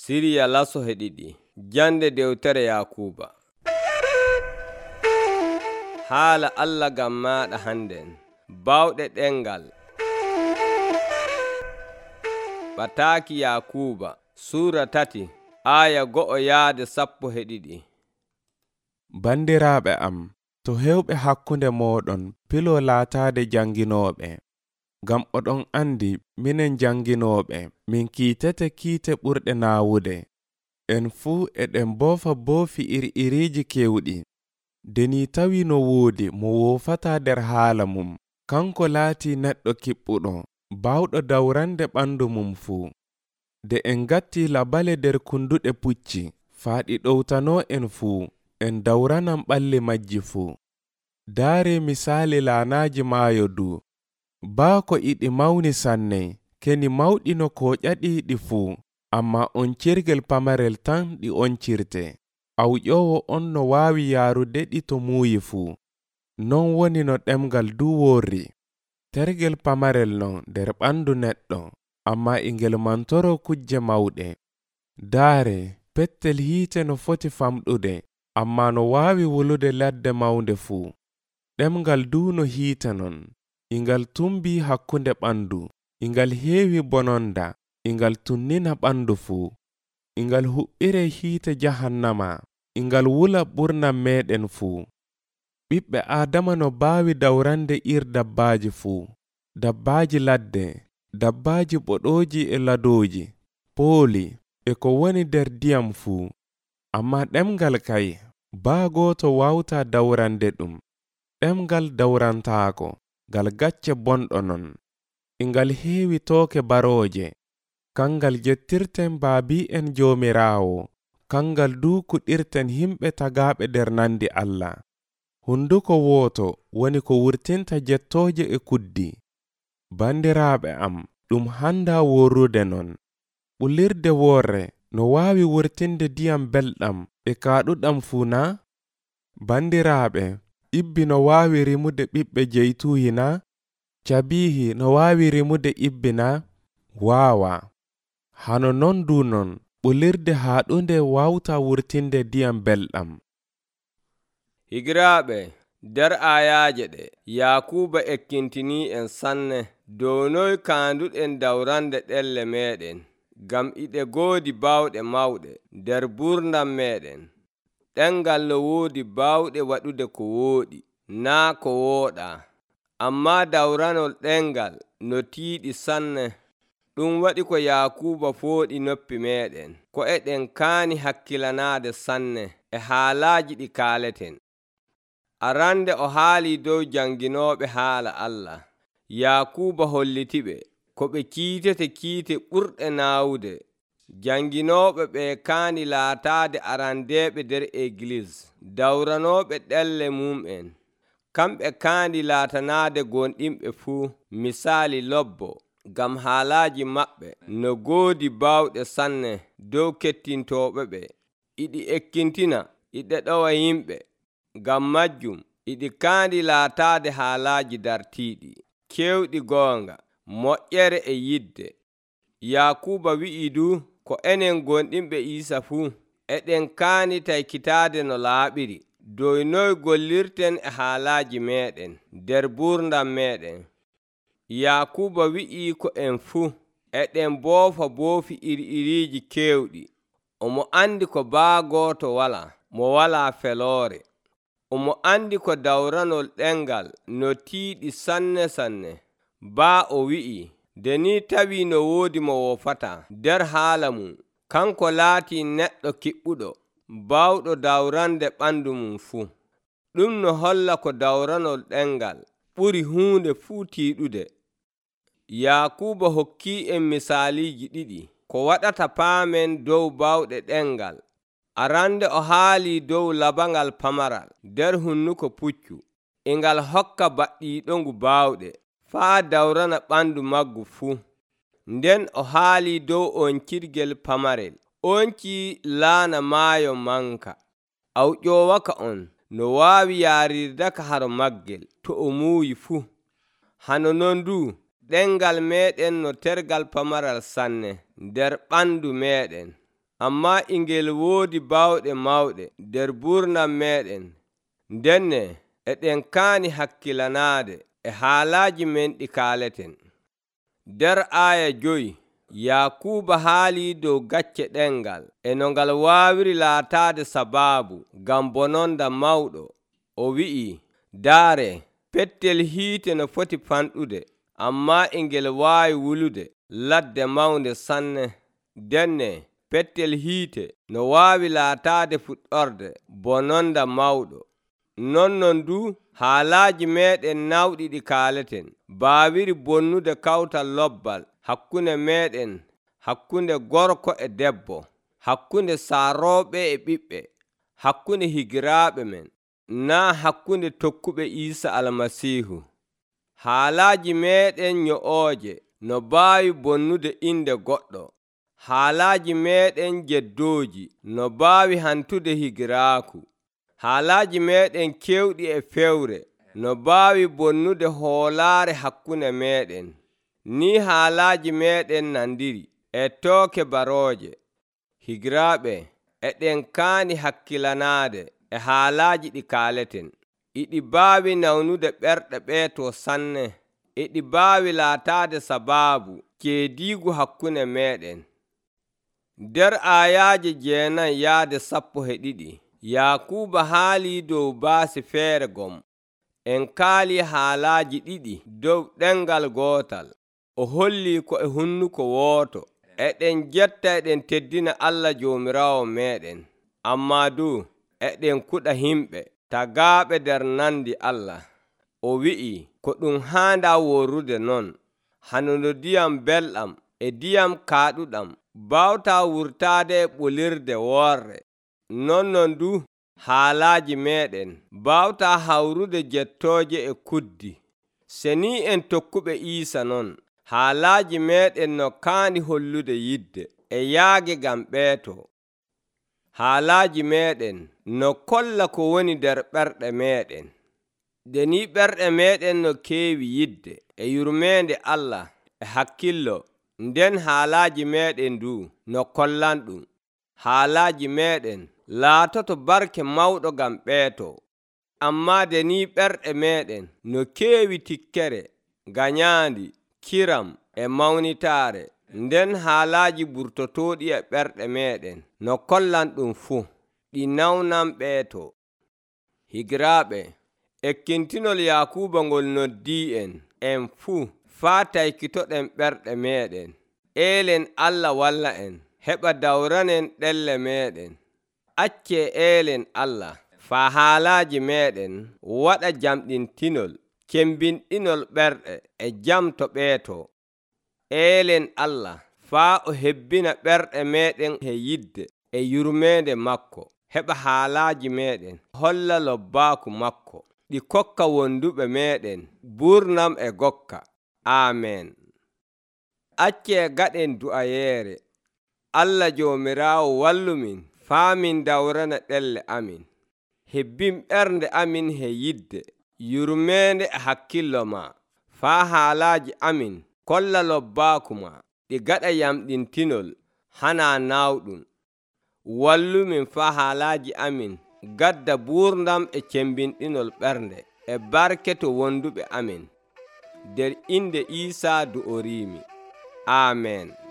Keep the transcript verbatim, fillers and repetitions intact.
Siriya laso he ɗiɗi jande dewtere Yakuba. Haala Allah gam maɗa handen bawɗe ɗengal. Ɓataaki Yakuba Sura tati aya go'o yaade sappo he ɗiɗi. Bandiraaɓe am, to hewɓe hakkunde mooɗon pilo laataade janginooɓe, ngam oɗon andi minen janginooɓe min kiitete kiite ɓurɗe naawude. En fuu eɗen boofa boofi iri-iriiji kewɗi. Deni tawi no woodi mo woofataa nder haala mum, kanko laatii neɗɗo kiɓɓuɗo, baawɗo dawrande ɓandu mum fuu. De en gatti labale nder kunduɗe pucci, faaɗi ɗowtanoo en fuu, en dawranan ɓalli majji fuu. Daare misaali laanaaji maayo du. Baako iɗi mawni sanne, keni mawɗino kooƴaɗiiɗi fuu, amma oncirgel pamarel tan ɗi oncirte. Awƴoowo on no waawi yaarude ɗi to muuyi fuu. Non woni no ɗemgal du worri. Tergel pamarel non nder ɓandu neɗɗo, amma ingel mantoro kujje mawɗe. Daare pettel hiite no foti famɗude, amma no waawi wulude ladde mawnde fuu. Ɗemgal du no hiite non, ingal tumbii hakkunde ɓandu, ingal heewi bononda, ingal tunnina ɓandu fuu. Ingal huɓɓire hiite jahannama, ingal wula ɓurnam meɗen fuu. Ɓiɓɓe Aadama no baawi dawrande ir dabbaaji fuu, dabbaaji ladde, dabbaaji boɗooji e ladooji, pooli, e ko woni nder diyam fuu. Amma ɗemgal kay, baa gooto wawtaa dawrande ɗum. Ɗemgal dawrantaako, ngal gacce bonɗo non. Ingal heewi tooke barooje, kangal jettirten baabi'en Joomiraawo, kangal duu kuɗirten himɓe tagaaɓe nder nandi Allah. Hunduko wooto woni ko wurtinta jettooje e kuddi. Bandiraaɓe am, ɗum handaa worrude non. Ɓulirde woorre no waawi wurtinde diyam belɗam e kaaɗuɗam fuu na? Bandiraaɓe, ibbi no waawi rimude ɓiɓɓe jeytuuhi na? Cabiihi no waawi rimude ibbi na? Waawa. Hano non du non, ɓulirde haaɗunde wawtaa wurtinde diyam belɗam. Higiraaɓe, nder ayaaje ɗe Yakuba ekkintinii en sanne dow noy kaanduɗen dawrande ɗelle meɗen, gam iɗe goodi bawɗe mawɗe nder burdam meɗen. Ɗengal no woodi bawɗe waɗude ko wooɗi, naa ko wooɗaa, amma dawranol ɗengal no tiiɗi sanne. Ɗum waɗi ko Yakuba fooɗi noppi meɗen, ko eɗen kaani hakkilanaade sanne e haalaaji ɗi kaaleten. Arande o haali dow janginooɓe haala Allah. Yakuba hollitiɓe ko ɓe kiitete kiite ɓurɗe naawude. Janginooɓe ɓe kaani laataade arandeeɓe nder Eglis, dawranooɓe ɗelle mum'en. Kamɓe kaani laatanaade gonɗinɓe fuu misaali lobbo, gam haalaaji maɓɓe no goodi bawɗe sanne dow kettintooɓe ɓe. Iɗi ekkintina, iɗe ɗowa yimɓe. Gam majjum, iɗi kaandi laataade haalaaji dartiiɗi, kewɗi goonga, moƴƴere e yidde. Yakuba wi'i du ko enen gonɗinɓe Iisa fuu, eɗen kaani taykitaade no laaɓiri, dow noy gollirten e haalaaji meɗen nder burdam meɗen. Yakuba wi'i ko en fuu eɗen boofa boofi iri-iriiji kewɗi. Omo andi ko baa gooto wala mo wala feloore. Omo andi ko dawranol ɗengal no tiiɗi sanne sanne. Baa o wi'i, deni tawi no woodi mo woofata nder haala mum, kanko laati neɗɗo kiɓɓuɗo, bawɗo dawrande ɓandu mum fuu. Ɗum no holla ko dawranol ɗengal ɓuri huunde fuu tiiɗude. Yakuba hokki en misaaliji ɗiɗi ko waɗata paamen dow bawɗe ɗengal. Arande o haali dow labangal pamaral nder hunnuko puccu, ingal hokka baɗɗiiɗo ngu bawɗe faa dawrana ɓandu maggu fuu. Nden o haali dow oncirgel pamarel, onci laana maayo manka. Awƴoowaka on no waawi yaarirdaka haro maggel to o muuyi fuu. Hano non du ɗengal meɗen no tergal pamaral sanne nder ɓandu meɗen. ammaa e ngel woodi baawɗe mawɗe nder ɓurnam meeɗen. Ndenne eɗen kaani hakkilanaade e haalaaji men ɗi kaaleten. Nder aaya joyi Yaakuuba haalii dow gacce ɗengal e no ngal waawiri laataade sabaabu ngam bononda mawɗo. O wi'i, daare, pettel hiite no foti fanɗude, ammaa e ngel waawi wulude ladde mawnde sanne. Ndenne pettel hiite no waawi laataade fuɗɗorde bononda mawɗo. Nonnon du haalaaji meeɗen nawɗi ɗi kaaleten baawiri bonnude kawtal lobbal hakkunde meeɗen, hakkunde gorko e debbo, hakkunde saarooɓe e ɓiɓɓe, hakkunde higiraaɓe men, naa hakkunde tokkuɓe Iisa Almasiihu. Haalaaji meeɗen nyo'ooje no baawi bonnude inde goɗɗo. Haalaaji meeɗen jeddooji no baawi hantude higiraaku. Haalaaji meeɗen kewɗi e fewre no baawi bonnude hoolaare hakkunde meeɗen. Ni haalaaji meeɗen nandiri e tooke barooje. Higiraaɓe, eɗen kaani hakkilanaade e haalaaji ɗi kaaleten. Iɗi baawi nawnude ɓerɗe ɓeeto sanne. Iɗi baawi laataade sabaabu ceediigu hakkunde meeɗen. Nder aayaaje jeenan yaade sappo e ɗiɗi Yaakuuba haalii dow baasi feere gom. En kaalii haalaaji ɗiɗi dow ɗengal gootal. O hollii ko e hunnuko wooto. Eɗen jetta eɗen teddina Allah Joomiraawo meeɗen, ammaa du eɗen kuɗa himɓe tagaaɓe nder nandi Allah. O wi'i ko ɗum haandaa worrude non, hanuno ndiyam belɗam e ndiyam kaaɗuɗam baawtaa wurtaade e ɓolirde woorre. Nonnon du haalaaji meeɗen baawtaa hawrude jettooje e kuddi. Se ni en tokkuɓe Iisa non, haalaaji meeɗen no kaani hollude yidde e yaage ngam ɓeeto. Haalaaji meeɗen no kolla ko woni nder ɓerɗe meeɗen. Nde ni ɓerɗe meeɗen no keewi yidde e yurmeende Allah e hakkillo, nden haalaaji meeɗen du no kollan ɗum. Haalaaji meeɗen laatoto barke mawɗo ngam ɓeeto. Ammaa nde ni ɓerɗe meeɗen no keewi tikkere, ganyaandi, kiram e mawnitaare, nden haalaaji ɓurtotooɗi e ɓerɗe meeɗen no kollan ɗum fuu, ɗi nawnan ɓeeto. Higiraaɓe, ekkintinol Yaakuuba ngol noddii en en fuu faa taykitoɗen ɓerɗe meeɗen. Eelen Allah walla en heɓa dawranen ɗelle meeɗen. Accee eelen Allah faa haalaaji meeɗen waɗa jamɗintinol, cembinɗinol ɓerɗe e jam to ɓeeto. Eelen Allah faa o hebbina ɓerɗe meeɗen e yidde e yurmeende makko, heɓa haalaaji meeɗen holla lobbaaku makko, ɗi kokka wonduɓe meeɗen ɓurnam e gokka. Aamen. Accee gaɗen du'ayeere. Allah Joomiraawo wallumin faa min dawrana ɗelle amin. Hebbin ɓernde amin he yidde, yurmeende e hakkillo ma, faa haalaaji amin kolla lobbaaku ma, ɗi gaɗa yamɗintinol hana naawɗum. Wallumin faa haalaaji amin gadda ɓurnam e cembinɗinol ɓernde e barke to wonduɓe amin. Nder inde Iisaa du'oriimi. Aamen.